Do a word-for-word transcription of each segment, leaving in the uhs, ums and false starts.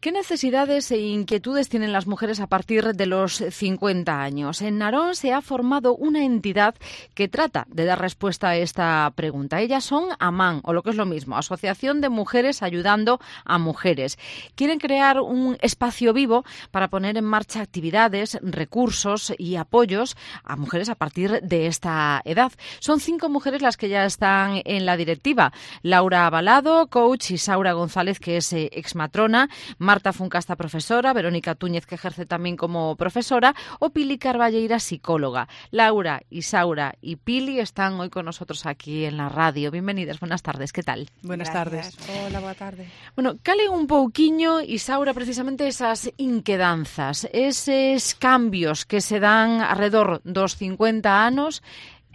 ¿Qué necesidades e inquietudes tienen las mujeres a partir de los cincuenta años? En Narón se ha formado una entidad que trata de dar respuesta a esta pregunta. Ellas son AMAN, o lo que es lo mismo, Asociación de Mujeres Ayudando a Mujeres. Quieren crear un espacio vivo para poner en marcha actividades, recursos y apoyos a mujeres a partir de esta edad. Son cinco mujeres las que ya están en la directiva. Laura Abalado, coach, Isaura González, que es eh, exmatrona, Marta Funcasta, profesora, Verónica Túñez, que ejerce también como profesora, o Pili Carballeira, psicóloga. Laura, Isaura y Pili están hoy con nosotros aquí en la radio. Bienvenidas, buenas tardes, ¿qué tal? Buenas Gracias. tardes. Hola, boa tarde. Bueno, cale un pouquiño, Isaura, precisamente esas inquedanzas, eses cambios que se dan alrededor dos cincuenta anos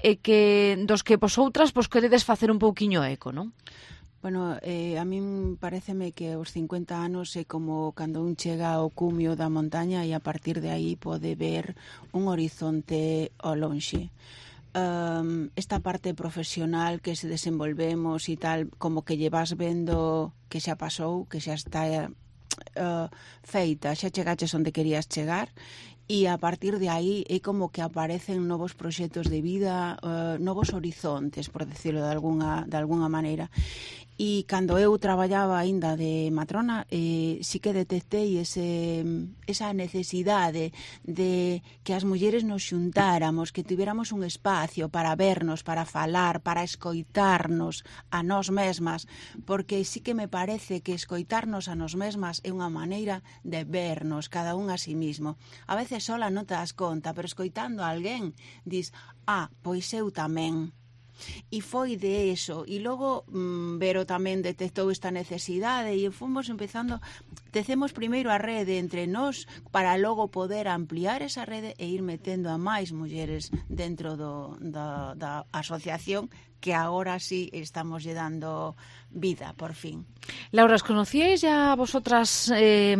e que dos que vosotras pois queredes facer un pouquiño eco, non? Bueno, eh, a min pareceme que os cincuenta anos é como cando un chega ao cumio da montaña e a partir de aí pode ver un horizonte ao lonxe. Um, esta parte profesional que se desenvolvemos e tal, como que lle vas vendo que xa pasou, que xa está uh, feita, xa chegaches onde querías chegar, e a partir de aí é como que aparecen novos proxectos de vida, uh, novos horizontes, por decirlo de alguna, de alguna maneira. E cando eu traballaba aínda de matrona, eh, sí que detectei ese, esa necesidade de que as mulleres nos xuntáramos, que tuviéramos un espacio para vernos, para falar, para escoitarnos a nós mesmas, porque sí que me parece que escoitarnos a nós mesmas é unha maneira de vernos cada un a sí mismo. A veces sola non te das conta, pero escoitando a alguén, dis, ah, pois eu tamén. E foi de eso, e logo mmm, Vero tamén detectou esta necesidade e fomos empezando, tecemos primeiro a rede entre nós para logo poder ampliar esa rede e ir metendo a máis mulleres dentro do, da, da asociación, que agora sí estamos lle dando vida, por fin. Laura, ¿os conocíais ya vosotras eh,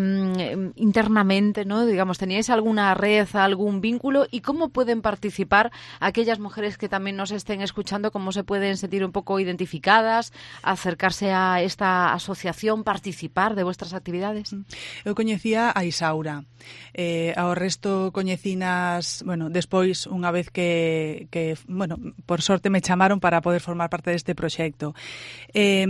internamente, ¿no? Digamos, ¿teníais alguna red, algún vínculo? ¿Y cómo pueden participar aquellas mujeres que también nos estén escuchando? ¿Cómo se pueden sentir un poco identificadas, acercarse a esta asociación, participar de vuestras actividades? Eu coñecía a Isaura. Eh, ao resto coñecinas, bueno, despois, unha vez que, que, bueno, por sorte me chamaron para poder formar parte deste proxecto. Eh,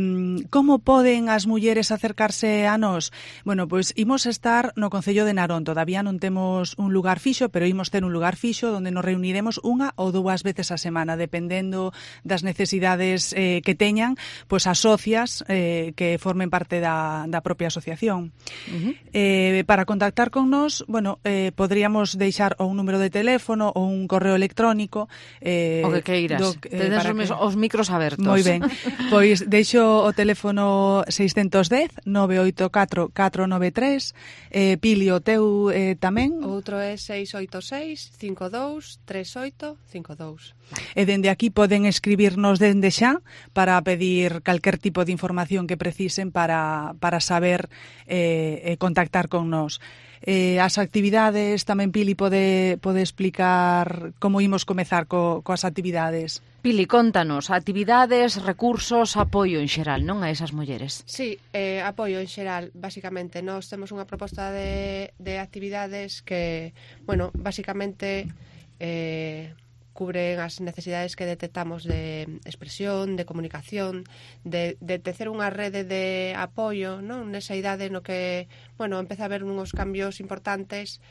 como poden as mulleres acercarse a nós? Bueno, pois imos estar no Concello de Narón. Todavía non temos un lugar fixo, pero imos ter un lugar fixo onde nos reuniremos unha ou dúas veces a semana, dependendo das necesidades eh, que teñan, pois as socias eh, que formen parte da, da propia asociación. Uh-huh. Eh, para contactar con nós, bueno, eh, podríamos deixar ou un número de teléfono ou un correo electrónico. Eh, o que queiras. Do, eh, Tedes os, que... os micros abertos. Moi ben. Pois deixo o teléfono seiscentos dez, nove oito catro, catro nove tres. Eh, Pili, o teu eh, tamén? Outro é seis oito seis, cinco dous, tres oito, cinco dous. E dende aquí poden escribirnos dende xa para pedir calquer tipo de información que precisen para, para saber eh, eh, contactar con nós. Eh, as actividades, tamén Pili pode, pode explicar como imos comezar co, coas actividades. Pili, contanos, actividades, recursos, apoio en xeral, non, a esas mulleres? Sí, eh, apoio en xeral, basicamente. Nós temos unha proposta de, de actividades que, bueno, basicamente eh, cubren as necesidades que detectamos de expresión, de comunicación, de, de tecer unha rede de apoio, non? Nesa idade no que, bueno, empeza a haber uns cambios importantes,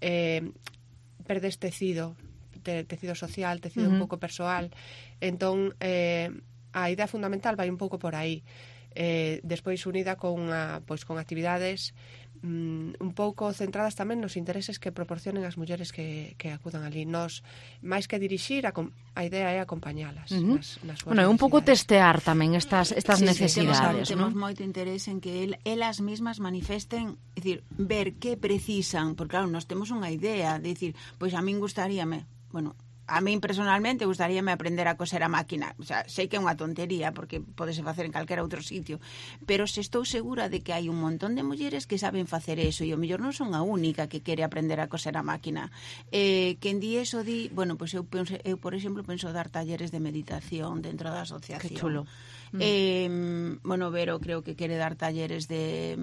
eh, perdes tecido, te, tecido social, tecido uh-huh. un pouco persoal. Entón, eh, a idea fundamental vai un pouco por aí. Eh, despois unida con, a, pois, con actividades mm, un pouco centradas tamén nos intereses que proporcionen as mulleres que, que acudan ali. Nos, máis que dirixir, a, a idea é acompañalas uh-huh. nas, nas súas bueno, é un pouco testear tamén estas, estas sí, necesidades, sí, ¿no? Temos moito interés en que el, elas mismas manifesten, é dicir, ver que precisan, porque claro, nós temos unha idea de dicir, pois a min gustaríame, bueno, a min personalmente gustaríame aprender a coser a máquina. O sea, sei que é unha tontería porque podese facer en calquera outro sitio, pero se estou segura de que hai un montón de mulleres que saben facer eso e o mellor non son a única que quere aprender a coser a máquina. Eh, quen di eso di, bueno, pois pues eu, penso, eu por exemplo penso dar talleres de meditación dentro da asociación. Que chulo. Mm. Eh, bueno, Vero creo que quere dar talleres de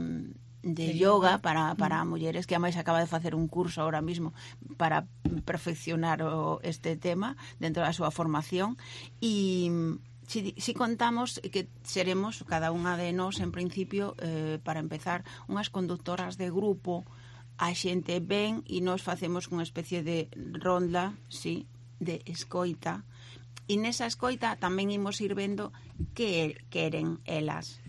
de yoga para, para mulleres, que ademais acaba de facer un curso ahora mismo para perfeccionar o, este tema dentro da súa formación. E si, si contamos que seremos cada unha de nós en principio, eh, para empezar, unhas conductoras de grupo. A xente ven e nós facemos unha especie de ronda, sí, de escoita, e nesa escoita tamén imos ir vendo que queren elas.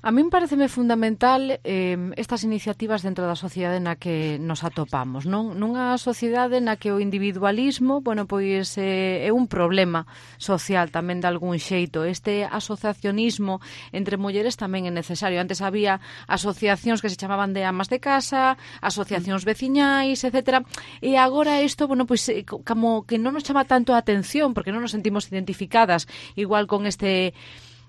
A min pareceme fundamental eh, estas iniciativas dentro da sociedade na que nos atopamos, non? Nunha sociedade na que o individualismo, bueno, pois eh, é un problema social tamén de algún xeito. Este asociacionismo entre mulleres tamén é necesario. Antes había asociacións que se chamaban de amas de casa, asociacións veciñais, etcétera. E agora isto, bueno, pois como que non nos chama tanto a atención porque non nos sentimos identificadas igual con este...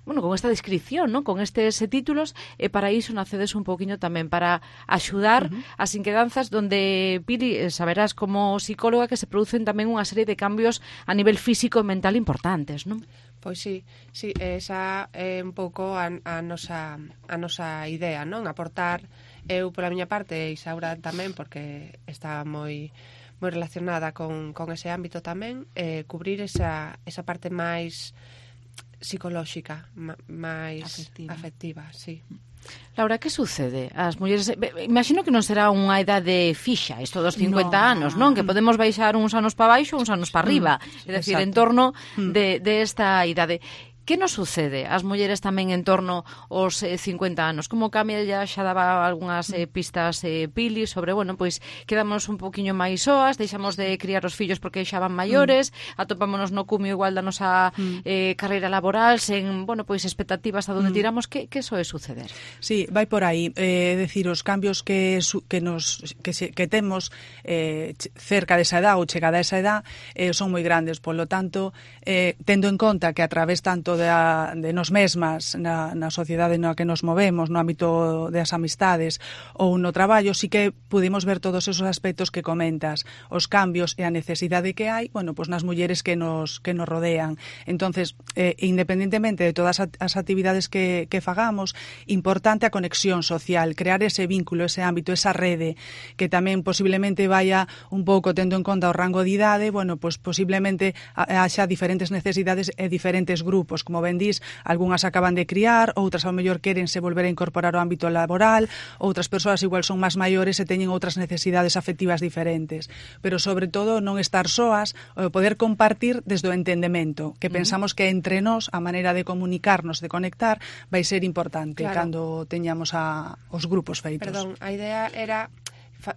bueno, con esta descripción, ¿no? Con estes títulos, e para iso nacedes un poquinho tamén para axudar uh-huh. as inquedanzas donde, Pili, saberás como psicóloga que se producen tamén unha serie de cambios a nivel físico e mental importantes, non? Pois sí, sí, esa é un pouco a, a, nosa, a nosa idea, non? Aportar, eu pola miña parte, e Isaura tamén, porque está moi moi relacionada con, con ese ámbito tamén, eh, cubrir esa, esa parte máis psicolóxica, máis afectiva. afectiva, sí. Laura, que sucede? As mulleres, imagino que non será unha idade fixa, isto dos cincuenta no, anos, non? Que podemos baixar uns anos para baixo, uns anos para arriba, mm, é dicir, en torno de, de esta idade. Que nos sucede ás mulleres tamén en torno aos eh, cincuenta anos? Como cambia, ya xa daba algunhas eh, pistas eh, Pili sobre, bueno, pois quedamos un poquinho máis soas, deixamos de criar os fillos porque xa van maiores, mm. atopámonos no cumio igual da nosa mm. eh, carreira laboral, sen, bueno, pois expectativas a donde mm. tiramos. Que, que soe suceder? Sí, vai por aí. É eh, decir, os cambios que, que, nos, que, se, que temos eh, cerca desa edad ou chegada a esa edad eh, son moi grandes, polo tanto, eh, tendo en conta que a través tanto De, a, de nos mesmas na, na sociedade na que nos movemos, no ámbito das amistades ou no traballo, sí que pudimos ver todos esos aspectos que comentas, os cambios e a necesidade que hai, bueno, pues nas mulleres que nos que nos rodean. Entonces, eh, independentemente de todas as actividades que, que fagamos, importante a conexión social, crear ese vínculo, ese ámbito, esa rede, que tamén posiblemente vaya un pouco tendo en conta o rango de idade, bueno, pues posiblemente haxa diferentes necesidades e diferentes grupos. Como ben dís, algunhas acaban de criar, outras ao mellor querense volver a incorporar ao ámbito laboral, outras persoas igual son máis maiores e teñen outras necesidades afectivas diferentes. Pero, sobre todo, non estar soas, poder compartir desde o entendemento, que pensamos que entre nós a maneira de comunicarnos, de conectar, vai ser importante claro. Cando teñamos a, os grupos feitos. Perdón, a idea era...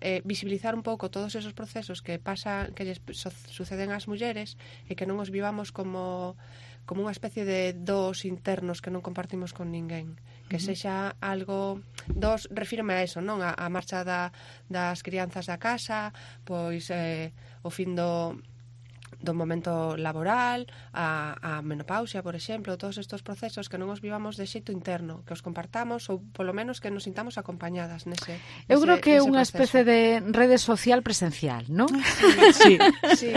Eh, visibilizar un pouco todos esos procesos que pasan, que lles so, suceden ás mulleres e que non os vivamos como como unha especie de dos internos que non compartimos con ninguén, que uh-huh. sexa algo dos, refírme a eso, non? A, a marcha da, das crianzas da casa, pois eh, o fin do do momento laboral, a, a menopausia, por exemplo, todos estes procesos que non os vivamos de xeito interno, que os compartamos ou polo menos que nos sintamos acompañadas nese proceso. Eu creo que é unha especie de rede social presencial, non? Sí. sí.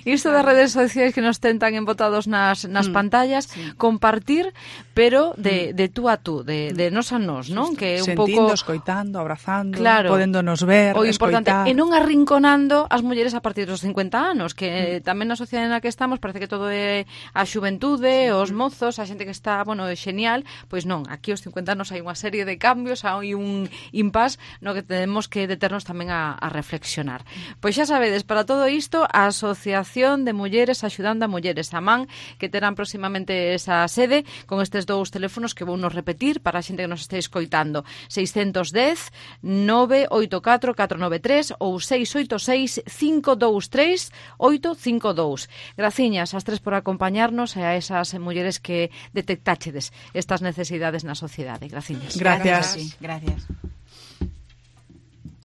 Isto das redes sociais que nos tentan embotados nas, nas mm. pantallas, sí. compartir, pero de, de tú a tú, de, de nos a nos, non? Que é un sentindo, pouco... escoitando, abrazando, claro. podéndonos ver, o importante, escoitar. E non arrinconando as mulleres a partir dos cincuenta anos, que mm. tamén na sociedade na que estamos parece que todo é a xuventude, sí. os mozos, a xente que está, bueno, é genial, pois non, aquí aos cincuenta anos hai unha serie de cambios, hai un impás no que tenemos que deternos tamén a, a reflexionar. Pois xa sabedes, para todo isto, a Asociación de Mulleres Axudando a Mulleres, a MAN, que terán próximamente esa sede con estes dous teléfonos que vou nos repetir para a xente que nos este escoitando, seiscentos dez, nove oito catro, catro nove tres ou seis oito seis, cinco dous tres, oito cinco dous. Graciñas ás tres por acompañarnos e a esas mulleres que detectáchedes estas necesidades na sociedade. Graciñas. Gracias. Gracias. Gracias.